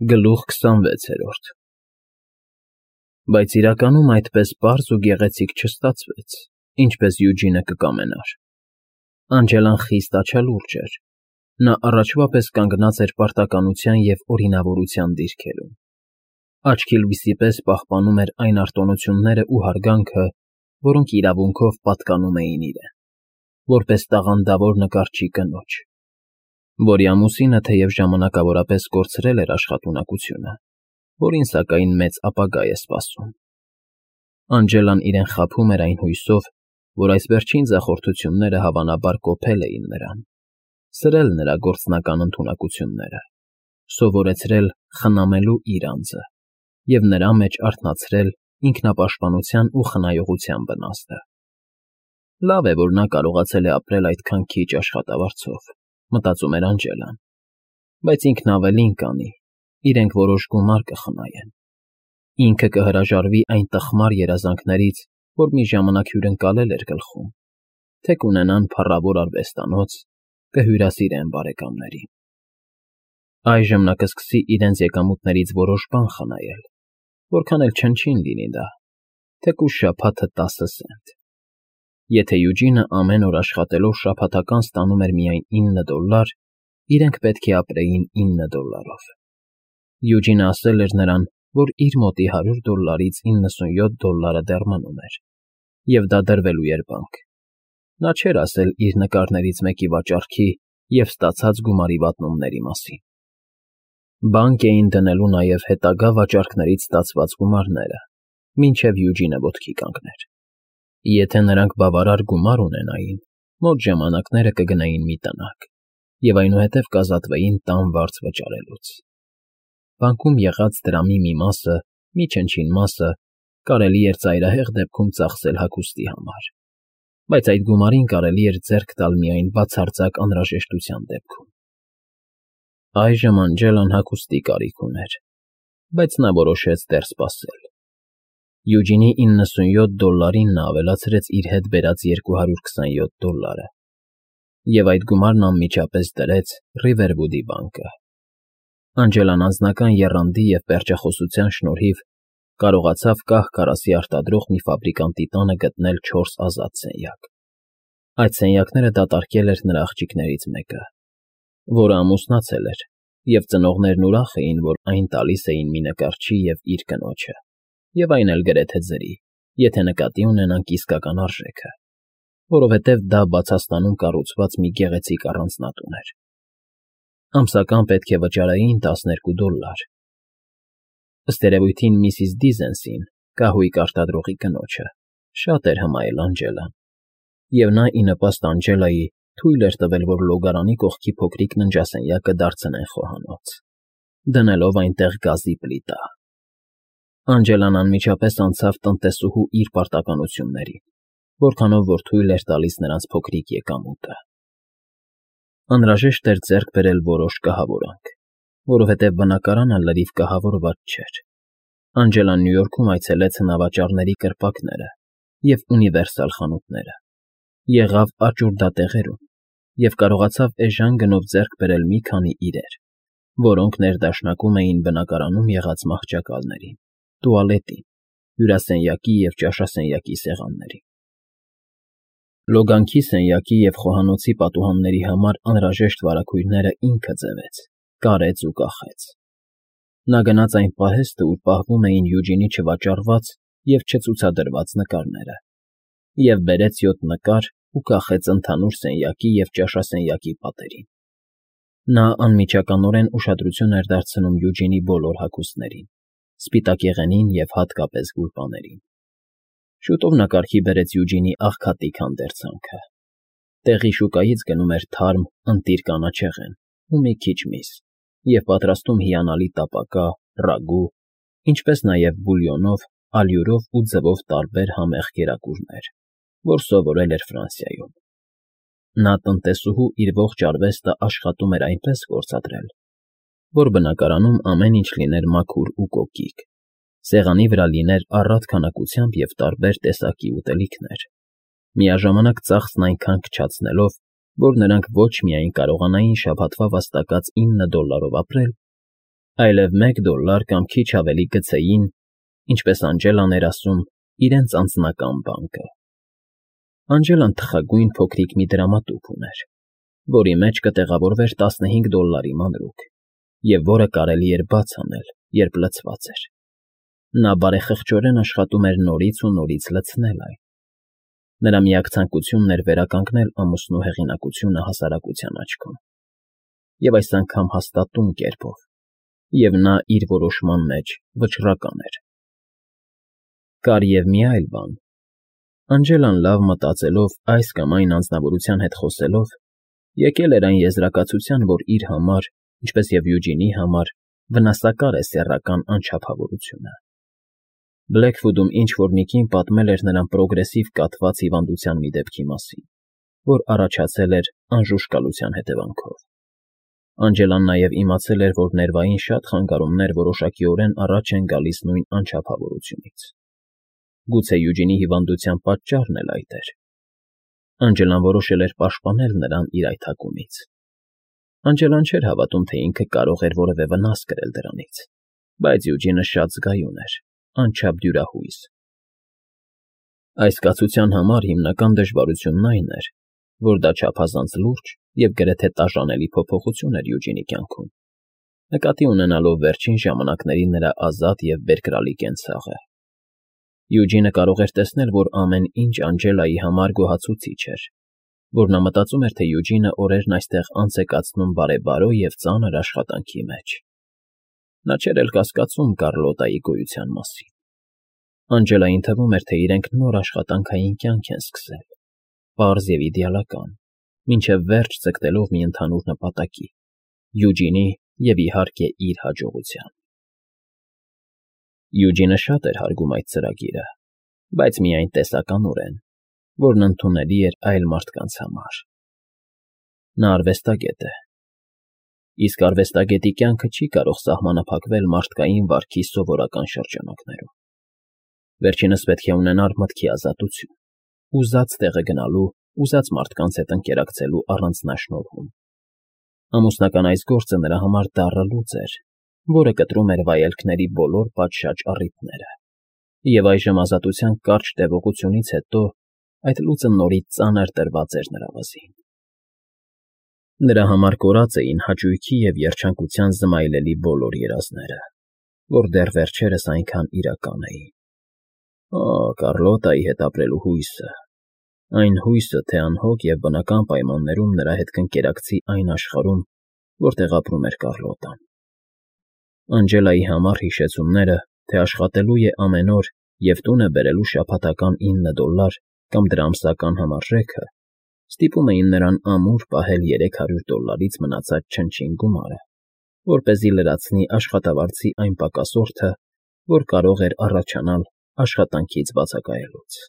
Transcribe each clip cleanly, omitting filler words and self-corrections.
Գլուխ 26 Բայց իրականում այդպես պարզ ու գեղեցիկ չստացվեց, ինչպես Յուջինը կկամենար։ Անջելան խիստ աչալուրջ էր, նա առաջվա պես կանգնած էր պարտականության և օրինավորության դիրքերում, աչքի լույսի պես պահպանում էր այն արտոնությունները ու հարգանքը, որոնք իրավունքով պատկանում էին իրեն, որպես տաղանդավոր նկարչի կնոջ, որի ամուսինը թեև ժամանակավորապես կորցրել էր աշխատունակությունը, որին սակայն մեծ ապագա է սպասում։ Անջելան իրեն խաբում էր այն հույսով, որ այս վերջին ձախորդությունները հավանաբար կոփել էին նրան, սրել նրա գործնական ընդունակությունները, սովորեցրել խնամելու իր անձը և նրա մեջ արթնացրել ինքնապաշտպանության ու խնայողության վնասը։ Լավ է, որ նա կարողացել է ապրել այդքան քիչ աշխատավարձով, մտածում էր Անջելան, բայց ինքն ավելին կանի, իրենք որոշ գումար կխնայեն։ Ինքը կհրաժարվի այն տխմար երազանքներից, որ մի ժամանակ հյուրընկալել էր գլխում, թե կունենան փառավոր արվեստանոց, կհյուրասիրեն բարեկամներին։ Այժմ նա կսկսի իրենց եկամուտներից որոշ բան խնայել, որքան էլ չնչին լինի դա, թեկուզ շաբաթը 10 սենտ։ Եթե Յուջինը ամեն օր աշխատելով շաբաթական ստանում էր միայն $9, իրենք պետք է ապրեին $9-ով։ Յուջինը ասել էր նրան, որ իր մոտի $100-ից $97 դեռ մնում էր, և դա դրվելու էր բանկ։ Նա չէր ասել իր նկարներից մեկի վաճառքի և ստացած գումարի վատնումների մասին։ Բանկ էին դնելու նաև հետագա վաճառքներից ստացված գումարները, մինչև Յուջինը ոտքի կանգներ։ Եթե նրանք բավարար գումար ունենային, մոտ ժամանակները կգնային մի տնակ և այնուհետև կազատվեին տան վարձ վճարելուց։ Բանկում եղած դրամի մի մասը, մի չնչին մասը կարելի էր ծայրահեղ դեպքում ծախսել հագուստի համար, բայց այդ գումարին կարելի էր ձեռք տալ միայն բացարձակ անհրաժեշտության դեպքում։ Այժմ Անջելան հագուստի կարիք ուներ, բայց նա որոշեց դեռ սպասել։ Յուջինի $97-ին նա ավելացրեց իր հետ բերած $227, և այդ գումարն անմիջապես դրեց Ռիվերվուդի բանկը։ Անջելան անձնական եռանդի և պերճախոսության շնորհիվ կարողացավ կահ֊քարասի արտադրող մի ֆաբրիկանտի տանը գտնել 4 ազատ սենյակ։ Այդ սենյակները դատարկել էր նրա աղջիկներից մեկը, որը ամուսնացել էր, և ծնողներն ուրախ էին, որ այն տալիս էին մի նկարչի և իր կնոջը, և այն էլ գրեթե ձրի, եթե նկատի ունենանք իսկական արժեքը, որովհետև դա Բացաստանում կառուցված մի գեղեցիկ առանձնատուն էր։ Ամսական պետք է վճարեին $12։ Ըստ երևույթին Միսիս Դիզենսին, կահույք արտադրողի կնոջը, շատ էր հմայել Անջելան, և նա ի նպաստ Անջելայի թույլ էր տվել, որ լոգարանի կողքի փոքրիկ ննջասենյակը դարձնեն խոհանոց, դնելով այնտեղ գազի պլիտա։ Անջելան անմիջապես անցավ տնտեսուհու իր պարտականություններին, որքանով որ թույլ էր տալիս նրանց փոքրիկ եկամուտը։ Անհրաժեշտ էր ձեռք բերել որոշ կահավորանք, որովհետև բնակարանը լրիվ կահավորված չէր։ Անջելան Նյու Յորքում այցելեց հնավաճառների կրպակները և ունիվերսալ խանութները, եղավ աճուրդատեղերում և կարողացավ էժան գնով ձեռք բերել մի քանի իրեր, որոնք ներդաշնակում էին բնակարանում եղած մահճակալներին, տուալետին, հյուրասենյակի և ճաշասենյակի սեղաններին։ Լոգանքի սենյակի և խոհանոցի պատուհանների համար անհրաժեշտ վարագույրները ինքը ձևեց, կարեց ու կախեց։ Նա գնաց այն պահեստը, ուր պահվում էին Յուջինի չվաճառված և չցուցադրված նկարները, և բերեց 7 նկար ու կախեց ընդհանուր սենյակի և ճաշասենյակի պատերին։ Նա անմիջականորեն ուշադրություն էր դարձնում Յուջինի բոլոր հագուստներին, սպիտակեղենին և հատկապես գուլպաներին։ Շուտով նա կարգի բերեց Յուջինի աղքատիկ հանդերձանքը։ Տեղի շուկայից գնում էր թարմ, ընտիր կանաչեղեն ու մի քիչ միս և պատրաստում հիանալի տապակա, ռագու, ինչպես նաև բուլյոնով, ալյուրով ու ձվով տարբեր համեղ կերակուրներ, որ սովորել էր Ֆրանսիայում։ Նա տնտեսուհու իր ողջ արվեստը աշխատում էր այնպես գործադրել, որ բնակարանում ամեն ինչ լիներ մաքուր ու կոկիկ, սեղանի վրա լիներ առատ քանակությամբ և տարբեր տեսակի ուտելիքներ, միաժամանակ ծախսն այնքան քչացնելով, որ նրանք ոչ միայն կարողանային շաբաթվա վաստակած $9-ով ապրել, այլև $1 կամ քիչ ավելի գցեին, ինչպես Անջելան էր ասում, իրենց անձնական բանկը։ Անջելան թխագույն փոքրիկ մի դրամատուփ ուներ, որի մեջ կտեղավորվեր $15 մանրուք, և որը կարելի էր բաց անել, երբ լցված էր։ Նա բարեխղճորեն աշխատում էր նորից ու նորից լցնել այն։ Նրա միակ ցանկությունն էր վերականգնել ամուսնու հեղինակությունը հասարակության աչքում, և այս անգամ հաստատուն կերպով, և նա իր որոշման մեջ վճռական էր։ Կար և մի այլ բան. Անջելան լավ մտածելով այս կամ այն անձնավորության հետ խոսելով, եկել էր այն եզրակացության, որ իր համար, ինչպես և Յուջինի համար, վնասակար է սեռական անչափավորությունը։ Բլեքվուդում ինչ֊որ մի կին պատմել էր նրան պրոգրեսիվ կաթված հիվանդության մի դեպքի մասին, որ առաջացել էր անժուշկալության հետևանքով։ Անջելան նաև իմացել էր, որ ներվային շատ խանգարումներ որոշակիորեն առաջ են գալիս նույն անչափավորությունից։ Գուցե Յուջինի հիվանդության պատճառն էլ այդ էր։ Անջելան որոշել էր պաշտպանել նրան իր այդ հակումից։ Անջելան չէր հավատում, թե ինքը կարող էր որևէ վնաս կրել դրանից, բայց Յուջինը շատ զգայուն էր, անչափ դյուրահույս։ Այս կացության համար հիմնական դժվարությունն այն էր, որ դա չափազանց լուրջ և գրեթե տաժանելի փոփոխություն էր Յուջինի կյանքում, նկատի ունենալով վերջին ժամանակների նրա ազատ և բերկրալի կենցաղը։ Յուջինը կարող էր տեսնել, որ ամեն ինչ Անջելայի համար գոհացուցիչ էր, որ նա մտածում էր, թե Յուջինը օրերն այստեղ անց է կացնում բարեբարո և ծանր աշխատանքի մեջ։ Նա չէր էլ կասկածում Կառլոտայի գոյության մասին։ Անջելային թվում էր, թե իրենք նոր աշխատանքային կյանք են սկսել, պարզ և իդեալական, մինչև վերջ ձգտելով մի ընդհանուր նպատակի՝ Յուջինի և, իհարկե, իր հաջողության։ Յուջինը շատ էր հարգում այդ ծրագիրը, բայց միայն տեսականորեն, որն ընդունելի էր այլ մարդկանց համար։ Նա արվեստագետ է, իսկ արվեստագետի կյանքը չի կարող սահմանափակվել մարդկային վարքի սովորական շրջանակներում։ Վերջինս պետք է ունենար մտքի ազատություն, ուզած տեղը գնալու, ուզած մարդկանց հետ ընկերակցելու առանձնաշնորհում։ Ամուսնական այս գործը նրա համար դառը լուծ էր, որը կտրում էր վայելքների բոլոր պատշաճ առիթները, և այժմ ազատության կարճ տևողությունից հետո այդ լուծը նորից ծանր տրված էր նրա վզին։ Նրա համար կորած էին հաճույքի և երջանկության զմայլելի բոլոր երազները, որ դեռ վերջերս այնքան իրական էին։ Կառլոտայի հետ ապրելու հույսը, այն հույսը, թե անհոգ և բնական պայմաններում նրա հետ կընկերակցի այն աշխարհում, որտեղ ապրում էր Կառլոտան։ Անջելայի համառ հիշեցումները, թե աշխատելու է ամեն օր և տուն է բերելու շաբաթական $9 կամ դրա ամսական համարժեքը, ստիպում էին նրան ամուր պահել $300-ից մնացած չնչին գումարը, որպեսզի լրացնի աշխատավարձի այն պակասորդը, որ կարող էր առաջանալ աշխատանքից բացակայելուց։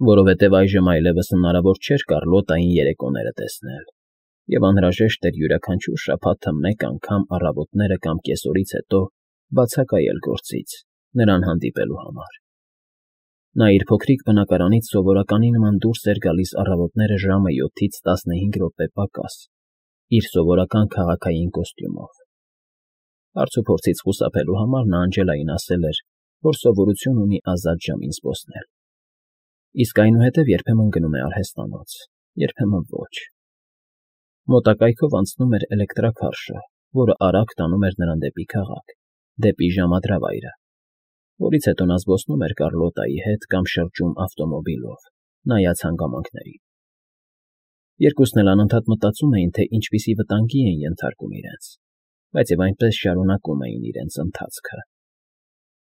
Որովհետև այժմ այլևս հնարավոր չէր Կառլոտային երեկոները տեսնել, և անհրաժեշտ էր յուրաքանչյուր շաբաթը մեկ անգամ առավոտները կամ կեսօրից հետո բացակայել գործից, նրան հանդիպելու համար։ Նա իր փոքրիկ բնակարանից սովորականի նման դուրս էր գալիս առավոտները ժամը 7-ից 15 րոպե պակաս, իր սովորական քաղաքային կոստյումով։ Հարց ու փորձից խուսափելու համար նա Անջելային ասել էր, որ սովորություն ունի ազատ ժամին զբոսնել, իսկ այնուհետև երբեմն գնում է արհեստանոց, երբեմն ոչ։ Մոտակայքով անցնում էր էլեկտրաքարշը, որը արագ տանում էր նրան դեպի քաղաք, դեպի ժամադրավայրը, որից հետո նա զբոսնում էր Կառլոտայի հետ կամ շրջում ավտոմոբիլով, նայած հանգամանքներին։ Երկուսն էլ անընդհատ մտածում էին, թե ինչպիսի վտանգի են ենթարկում իրենց, բայց և այնպես շարունակում էին իրենց ընթացքը։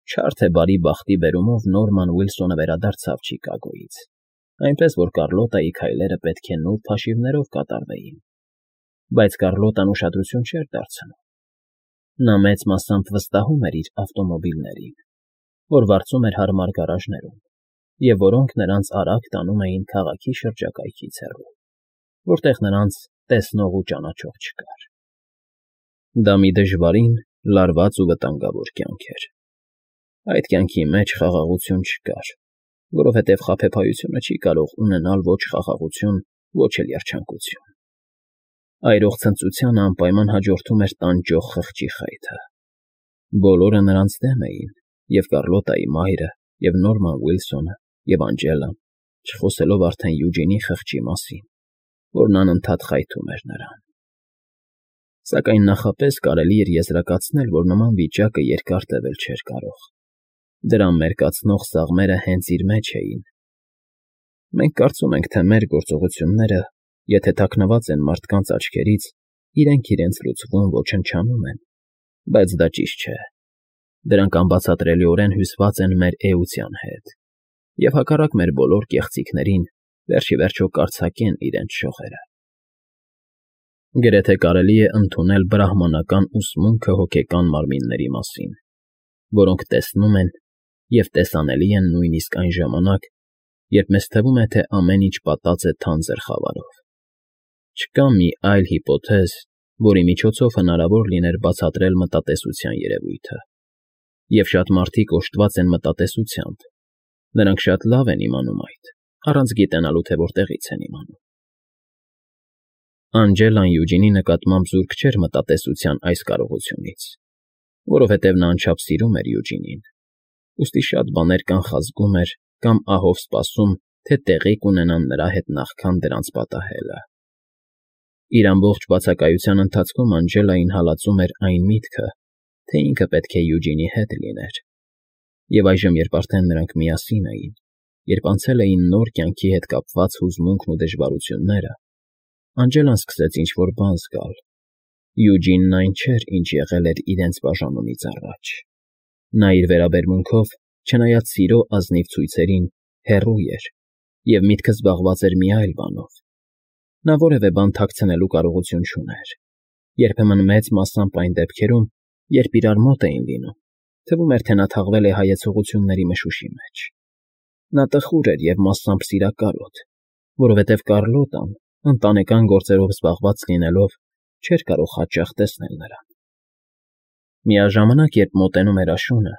Չար թե բարի բախտի բերումով Նորման Ուիլսոնը վերադարձավ Չիկագոյից, այնպես որ Կառլոտայի քայլերը պետք է նուրբ հաշիվներով կատարվեին, բայց Կառլոտան ուշադրություն չէր դարձնում։ Նա մեծ մասամբ վստահում էր իր ավտոմոբիլներին, որ վարձում էր հարմար գարաժներում, և որոնք նրանց արագ տանում էին քաղաքի շրջակայքից հեռու, որտեղ նրանց տեսնող ու ճանաչող չկար։ Դա մի դժվարին, լարված ու վտանգավոր կյանք էր։ Այդ կյանքի մեջ խաղաղություն չկար, որովհետև խաբեբայությունը չի կարող ունենալ ոչ խաղաղություն, ոչ էլ երջանկություն։ Այրող ցնծությանը անպայման հաջորդում էր տանջող խղճի խայթը։ Բոլորը նրանց դեմ էին, և Կառլոտայի մայրը, և Նորման Ուիլսոնը, և Անջելան, չխոսելով արդեն Յուջինի խղճի մասին, որն անընդհատ խայթում էր նրան։ Սակայն նախապես կարելի էր եզրակացնել, որ նման վիճակը երկար տևել չէր կարող։ Դրան մերկացնող սաղմերը հենց իր մեջ էին։ Մենք կարծում ենք, թե մեր գործողությունները, եթե թաքնված են մարդկանց աչքերից, իրենք իրենց լուծվում ոչնչանում են, բայց դա ճիշտ չէ։ Դրանք անբացատրելիորեն հյուսված են մեր էության հետ, և հակառակ մեր բոլոր կեղծիքներին, վերջ ի վերջո կարձակեն իրենց շողերը։ Գրեթե կարելի է ընդունել բրահմանական ուսմունքը հոգեկան մարմինների մասին, որոնք տեսնում են և տեսանելի են նույնիսկ այն ժամանակ, երբ մեզ թվում է, թե ամեն ինչ պատած է թանձր խավարով։ Չկա մի այլ հիպոթեզ, որի միջոցով հնարավոր լիներ բացատրել մտատեսության երևույթը։ Եվ շատ մարդիկ օժտված են մտատեսությամբ, նրանք շատ լավ են իմանում այդ, առանց գիտենալու, թե որտեղից են իմանում։ Անջելան Յուջինի նկատմամբ զուրկ չէր մտատեսության այս կարողությունից, որովհետև նա անչափ սիրում էր Յուջինին, ուստի շատ բաներ կանխազգում էր կամ ահով սպասում, թե տեղի կունենան նրա հետ նախքան դրանց պատահելը։ Իր ամբողջ բացակայության ընթացքում Անջելային հալածում էր այն միտքը, թե ինքը պետք է Յուջինի հետ լիներ։ Եվ այժմ, երբ արդեն նրանք միասին էին, երբ անցել էին նոր կյանքի հետ կապված հուզմունքն ու դժվարությունները, Անջելան սկսեց ինչ-որ բան զգալ։ Յուջինն այն չէր, ինչ եղել էր իրենց բաժանումից առաջ։ Նա իր վերաբերմունքով, չնայած սիրո ազնիվ ցույցերին, հեռու էր, և միտքը զբաղված էր մի այլ բանով։ Նա որևէ բան թաքցնելու կարողություն չուներ։ Երբեմն մեծ մասամբ այն դեպքերում, երբ իրար մոտ էին լինում, թվում էր, թե նա թաղվել է հայեցողությունների մշուշի մեջ։ Նա տխուր էր և մասամբ սիրակարոտ, որովհետև Կառլոտան, ընտանեկան գործերով զբաղված լինելով, չէր կարող հաճախ տեսնել նրան։ Միաժամանակ, երբ մոտենում էր աշունը,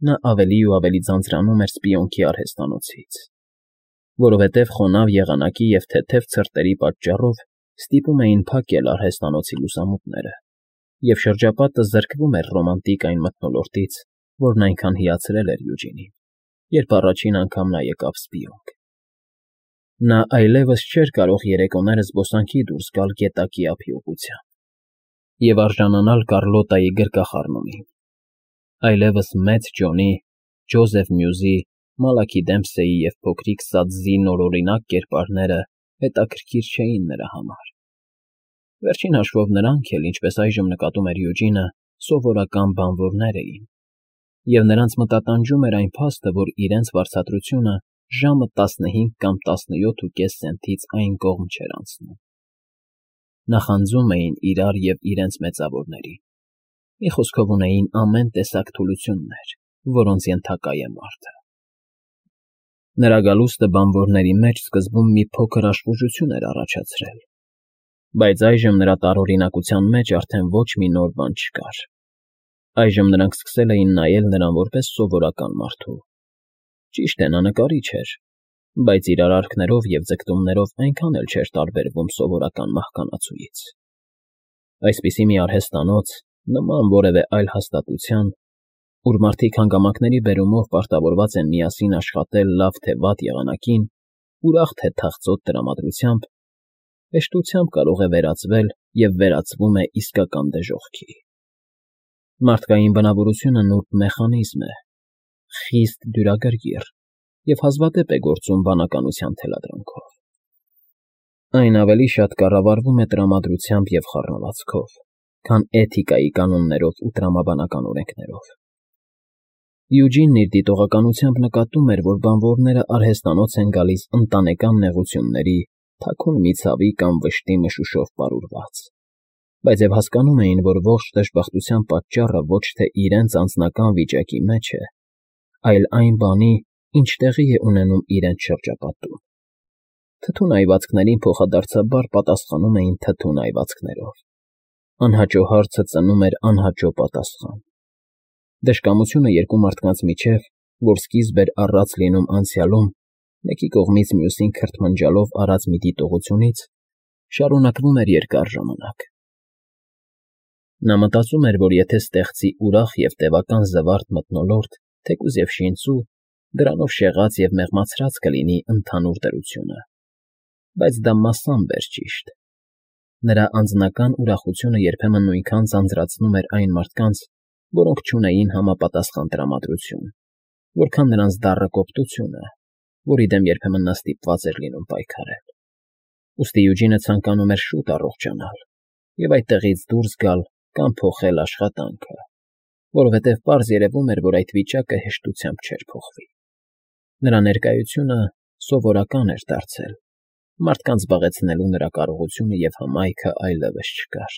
նա ավելի ու ավելի ձանձրանում էր սպիոնքի արհեստանոցից, որովհետև խոնավ եղանակի և թեթև ցրտերի պատճառով ստիպում էին փակել արհեստանոցի լուսամուտները, և շրջապատը զրկվում էր ռոմանտիկ այն մթնոլորտից, որն այնքան հիացրել էր Յուջինին, երբ առաջին անգամ նա եկավ սպիոնք։ Նա այլևս չէր կարող երեկոները զբոսանքի դուրս գալ գետակի ափի ուղղությամբ և արժանանալ Կառլոտայի գրկախառնումին, այլևս մեծ Ջոնի, Ջոզեֆ Մյուզի, Մալաքի Դեմփսեի և փոքրիկ Սատզի նորօրինակ կերպարները հետաքրքիր չէին նրա համար։ Վերջին հաշվով նրանք էլ, ինչպես այժմ նկատում էր Յուջինը, սովորական բանվորներ էին, և նրանց մտատանջում էր այն փաստը, որ իրենց վարձատրությունը ժամը 15 կամ 17.5 սենթից այն կողմ չէր անցնում։ Նախանձում էին իրար և իրենց մեծավորներին։ Մի խոսքով ունեին ամեն տեսակ թուլություններ, որոնց ենթակա է մարդը։ Նրա գալուստը բանվորների մեջ սկզբում մի փոքր աշխուժություն էր առաջացրել, բայց այժմ նրա տարօրինակության մեջ արդեն ոչ մի նոր բան չկար։ Այժմ նրանք սկսել էին նայել նրան որպես սովորական մարդու։ Ճիշտ է, նա նկարիչ էր, բայց իր արարքներով և ձգտումներով այնքան էլ չէր տարբերվում սովորական մահկանացուից։ Այսպիսի մի արհեստանոց, նման որևէ այլ հաստատության, ուր մարդիկ հանգամանքների բերումով պարտավորված են միասին աշխատել լավ թե վատ եղանակին, ուրախ թե թախծոտ տրամադրությամբ, հեշտությամբ կարող է վերածվել և վերածվում է իսկական դժոխքի։ Մարդկային բնավորությունը նուրբ մեխանիզմ է, խիստ դյուրագրգիռ և հազվադեպ է գործում բանականության թելադրանքով։ Այն ավելի շատ կառավարվում է տրամադրությամբ և խառնվածքով, քան էթիկայի կանոններով ու տրամաբանական օրենքներով։ Յուջինն իր դիտողականությամբ նկատում էր, որ բանվորները արհեստանոց են գալիս ընտանեկան նեղությունների, թաքուն մի ցավի կամ վշտի մշուշով պարուրված, բայց և հասկանում էին, որ ողջ դժբախտության պատճառը ոչ թե իրենց անձնական վիճակի մեջ է, այլ այն բանի, ինչ տեղի է ունենում իրենց շրջապատում։ Թթուն այվածքներին փոխադարձաբար պատասխանում էին թթուն այվածքներով։ Անհաճո հարցը ծնում էր անհաճո պատասխան։ Դժկամությունը երկու մարդկանց միջև, որ սկիզբ էր առած լինում անցյալում, մեկի կողմից մյուսին քրթմնջալով արած մի դիտողությունից, շարունակվում էր երկար ժամանակ։ Նա մտածում էր, որ եթե ստեղծի ուրախ և տևական զվարթ մթնոլորտ, թեկուզ և շինծու, դրանով շեղած և մեղմացրած կլինի ընդհանուր դրությունը, բայց դա մասամբ էր ճիշտ։ Նրա անձնական ուրախությունը երբեմն նույնքան ձանձրացնում էր այն մարդկանց, որոնք չունեին համապատասխան տրամադրություն, որքան նրանց դառը կոպտությունը, որի դեմ երբեմն նա ստիպված էր լինում պայքարել։ Ուստի Յուջինը ցանկանում էր շուտ առողջանալ և այդտեղից դուրս գալ կամ փոխել աշխատանքը, որովհետև պարզ երևում էր, որ այդ վիճակը հեշտությամբ չէր փոխվի։ Նրա ներկայությունը սովորական էր դարձել, մարդկանց զբաղեցնելու նրա կարողությունը և հմայքը այլևս չկար։